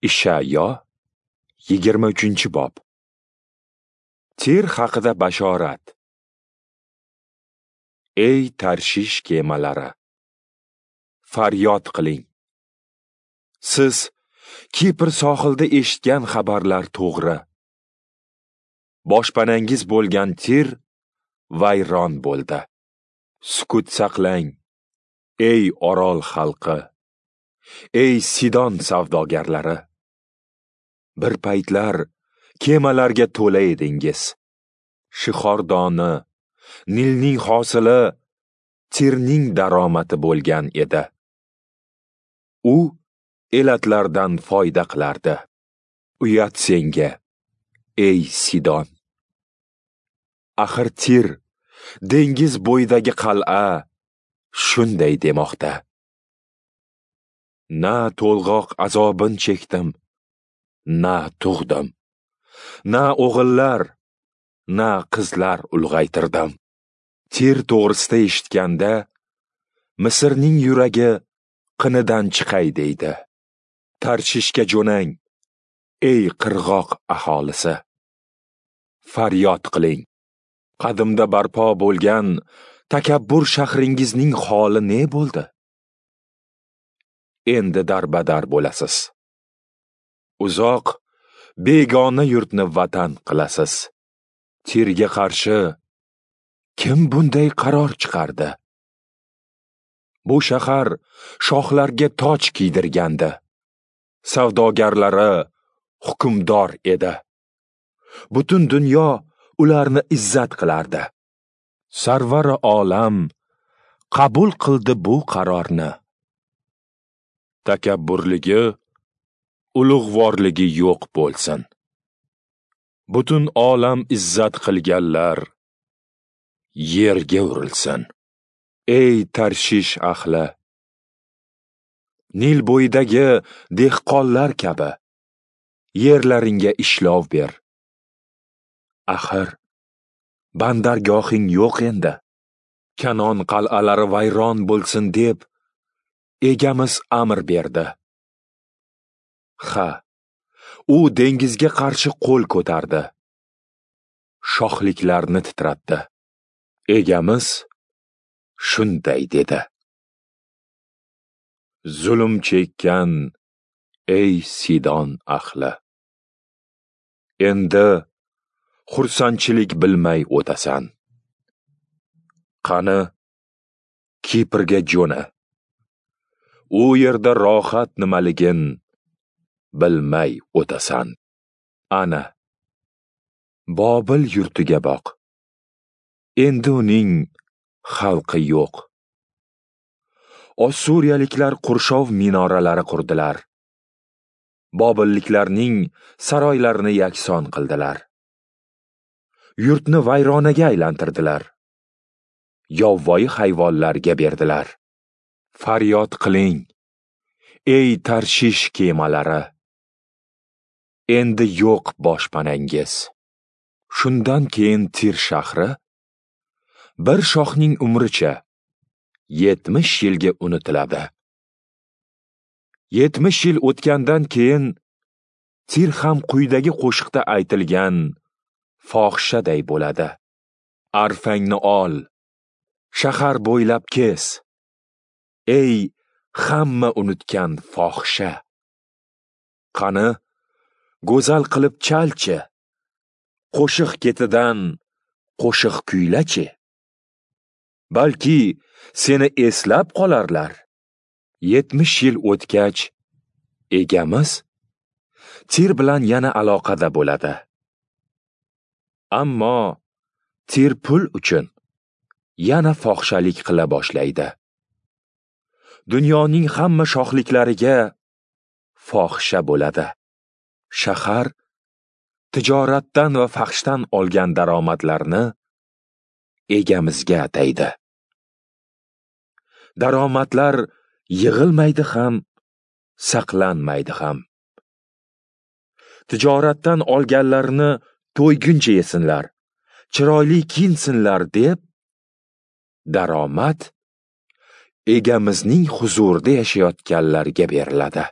Ishayo 23-bob. Tir haqida bashorat. Ey Tarshish kemalari, faryod qiling. Siz Kipr sohilida eshitgan xabarlar to'g'ri. Boshpanangiz bo'lgan Tir vayron bo'ldi. Sukut saqlang, ey Orol xalqi, ey Sidon savdogarlari. Bir paytlar kemalarga to'la edingiz. Shixordoni, Nilning hosili Tirning daromadi bo'lgan edi. U elatlardan foyda qilardi. Uyat senga, ey Sidon. Axir Tir, dengiz bo'yidagi qal'a, shunday demoqda: Na to'lg'oq azobin chekdim, na tug'dim, na o'g'illar, na qizlar ulg'aytirdim. Tir to'g'risida eshitganda Misrning yuragi qinidan chiqay deydi. Tarshishga jo'nang, ey qirg'oq aholisi. Faryod qiling. Qadimda barpo bo'lgan takabbur shahringizning holi ne bo'ldi? Endi darbadar bo'lasiz. Uzoq begona yurtni vatan qilasiz. Tirga qarshi kim bunday qaror chiqardi? Bu shahar shohlarga toj kiydirgandi. Savdogarlari hukmdor edi. Butun dunyo ularni izzat qilardi. Sarvari olam qabul qildi bu qarorni. Takabburligi, ulug'vorligi yo'q bo'lsin. Butun olam izzat qilganlar yerga urilsin. Ey Tarshish ahli, Nil bo'yidagi dehqonlar kabi yerlaringga ishlov ber. Axir bandargohing yo'q endi. Kanon qal'alari vayron bo'lsin deb egamiz amr berdi. Ha, u dengizga qarshi qo'l ko'tardi. Shohliklarni titratdi. Egamiz shunday dedi: Zulm chekkan ey Sidon ahli, endi xursandchilik bilmay o'tasan. Qani, Kiprga jo'na. U yerda rohat nimaligin bilmay o'tasan. Ana, Bobil yurtiga boq. Endi uning xalqi yo'q. Ossuriyaliklar qurshov minoralari qurdilar. Bobilliklarning saroylarini yakson qildilar. Yurtni vayronaga aylantirdilar. Yovvoyi hayvonlarga berdilar. Faryod qiling, ey Tarshish kemalari. Endi yo'q boshpanangiz. Shundan keyin Tir shahri bir shohning umricha 70 yilga unutiladi. 70 yil o'tgandan keyin Tir ham quyidagi qo'shiqda aytilgan fohishaday bo'ladi. Arfangni ol, shahar bo'ylab kes, ey hamma unutgan fohisha. Qani, go'zal qilib chalchi, qo'shiq ketidan qo'shiq kuylachi. Balki seni eslab qolarlar. 70 yil o'tgach, egamiz Tir bilan yana aloqada bo'ladi. Ammo Tir pul uchun yana fohishalik qila boshlaydi. Dunyoning hamma shohliklariga fohisha bo'ladi. Shahar tijoratdan va fahshdan olgan daromadlarni egamizga ataydi. Daromadlar yig'ilmaydi ham, saqlanmaydi ham. Tijoratdan olganlarini to'yguncha yesinlar, chiroyli kiyinsinlar deb daromad egamizning huzurida yashayotganlarga beriladi.